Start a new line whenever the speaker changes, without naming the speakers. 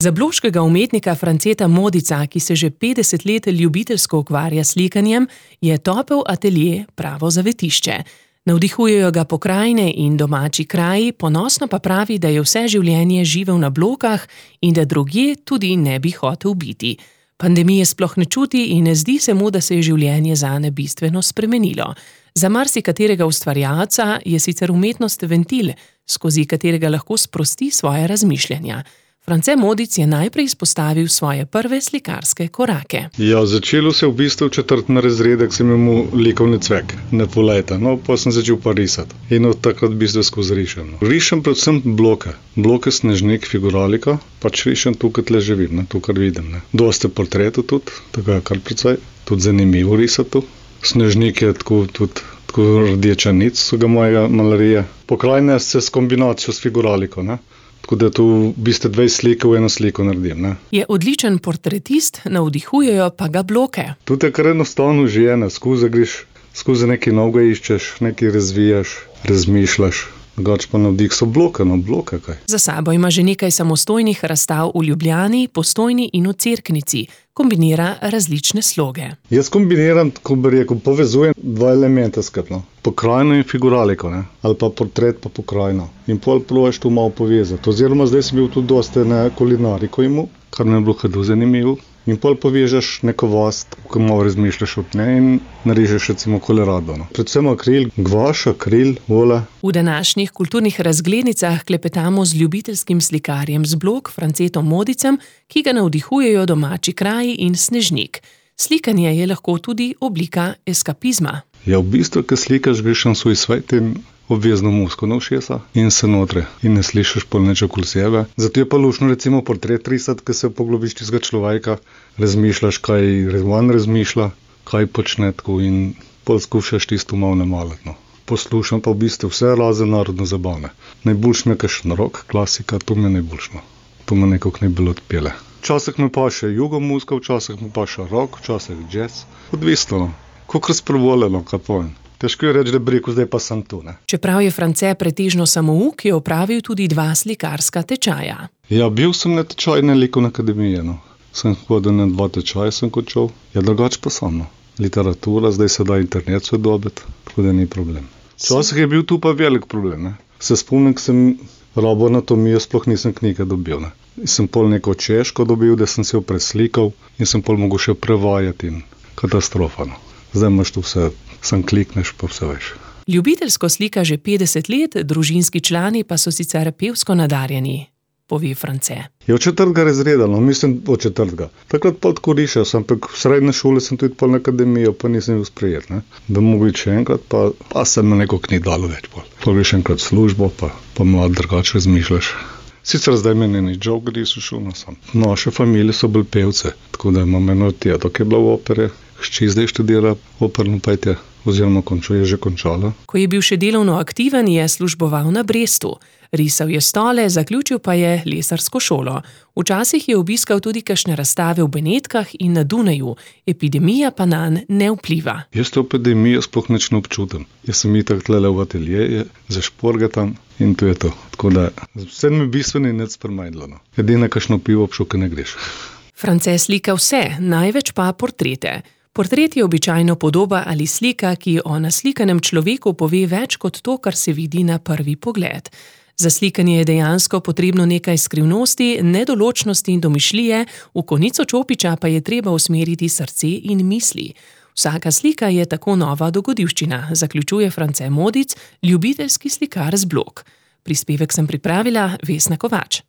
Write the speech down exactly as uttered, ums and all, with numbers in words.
Za bloškega umetnika Franceta Modica, ki se že petdeset let ljubiteljsko ukvarja s slikanjem, je topel atelje pravo zavetišče. Navdihujejo ga pokrajine in domači kraji, ponosno pa pravi, da je vse življenje živel na Blokah in da drugje tudi ne bi hotel biti. Pandemije sploh ne čuti in ne zdi se mu, da se je življenje zanje bistveno spremenilo. Za marsikaterega ustvarjalca je sicer umetnost ventil, skozi katerega lahko sprosti svoje razmišljanja. France Modic je najprej izpostavil svoje prve slikarske korake.
Ja, začelo se v bistvu v četrtem razredu, ko sem imel likovni cvek, ne pol leta, no, pa sem začel pa risati. In od takrat v bistvu skozi rišem. No. Rišem predvsem bloke, bloke Snežnik, figuralika, pač rišem tukaj tle živim, ne, tukaj vidim. Ne. Dosti portretov tudi, tako je kar precej, tudi zanimivo risati. Snežnik je tako, tudi tako rdeča nic vsega mojega malarija. Pokrajine se s kombinacijo s figuraliko, ne. Tako da tu v bistvu dve slike v eno sliko naredim. Ne?
Je odličen portretist, navdihujejo pa ga bloke.
Tudi je kar enostavno življenje, skozi greš, skozi nekaj novega iščeš, nekaj razvijaš, razmišljaš. Drugač pa navdih so bloke, no bloke kaj.
Za sabo ima že nekaj samostojnih razstav v Ljubljani, Postojni in v Cerknici. Kombinira različne sloge.
Jaz kombiniram, ko bi rekel, povezujem dva elementa skupno. Pokrajino in figuraliko, ne? Ali pa portret pa pokrajino. In pol probaš to malo povezati. Oziroma zdaj sem bil tudi dosti na kulinariko imel, kar mi je bilo kar zanimivo. In pol povežeš neko vas, ko malo razmišljaš od nje in narižeš recimo kolerado. No. Predvsem akril, gvaš, akril, vola.
V današnjih kulturnih razglednicah klepetamo z ljubiteljskim slikarjem z Blok, Francetom Modicem, ki ga navdihujejo domači kraji in Snežnik. Slikanje je lahko tudi oblika eskapizma.
Ja, v bistvu, ko slikaš, greš na svoj svet in obvezno musko na ušesa in se notre in ne slišiš pol nič okoli sebe. Zato je pa lušno recimo portret risati, ko se poglobiš tistega človeka, razmišljaš, kaj on razmišlja, kaj počne tako in pol skušaš tisto malo namaliti. No. Poslušam pa v bistvu vse razen narodno zabavne. Najboljš mi je kakšen rock, klasika, to mi je najboljšno. To me nekako najbolj odpele. Včasih me pa še jugo muska, včasih me pa še rock, včasih jazz. Odvisno, kako razprevoljeno, kaj povem. Težko je reči, da bi rekel, zdaj pa sem tu. Ne?
Čeprav je France pretežno samouk, je opravil tudi dva slikarska tečaja.
Ja, bil sem na tečaju na likovni akademiji. No. Sem hodil na dva tečaja, sem končal. Ja, drugač pa sam. No. Literatura, zdaj se da internet se dobiti, tako da ni problem. Včasih je bil tu pa velik problem. Ne? Se spomnim, ko sem robo anatomijo, sploh nisem knjige dobil. Ne? Sem pol neko češko dobil, da sem se jo preslikal in sem pol mogel še prevajati in katastrofa. No. Zdaj imaš tu vse, sam klikneš, pa vse veš.
Ljubiteljsko slika že petdeset let, družinski člani pa so sicer pevsko nadarjeni, pove France.
Je od četrtega razreda, no, mislim od četrtega. Takrat pa tako rišel, sem pa v srednje šole sem tudi pol na akademijo, pa nisem bil sprejet. Ne. Da mogo iti še enkrat, pa, pa se me nekako ni dalo več pol. Pa greš enkrat službo, pa, pa mlad drugače razmišljaš. Sicer zdaj meni ni joke, da so šel na sam. Naše familije so bili pevce, tako da imam eno teto, ki je bila v opere. Hči zdaj študira operno petje, oziroma končo je že končala.
Ko je bil še delovno aktiven, je služboval na Brestu. Risal je stole, zaključil pa je lesarsko šolo. Včasih je obiskal tudi kakšne razstave v Benetkah in na Dunaju. Epidemija pa nanj ne vpliva.
Jaz to epidemijo sploh nič ne občutim. Jaz sem itak tlele v ateljeju, zašporgatam in to je to. Tako da vse mi bistveno nič spremenilo. No. Edina kakšno pivo obšuke ne greš.
France slika vse, največ pa portrete. Portret je običajno podoba ali slika, ki o naslikanem človeku pove več kot to, kar se vidi na prvi pogled. Za slikanje je dejansko potrebno nekaj skrivnosti, nedoločnosti in domišljije, v konico čopiča pa je treba usmeriti srce in misli. Vsaka slika je tako nova dogodivščina, zaključuje France Modic, ljubiteljski slikar z Blok. Prispevek sem pripravila Vesna Kovač.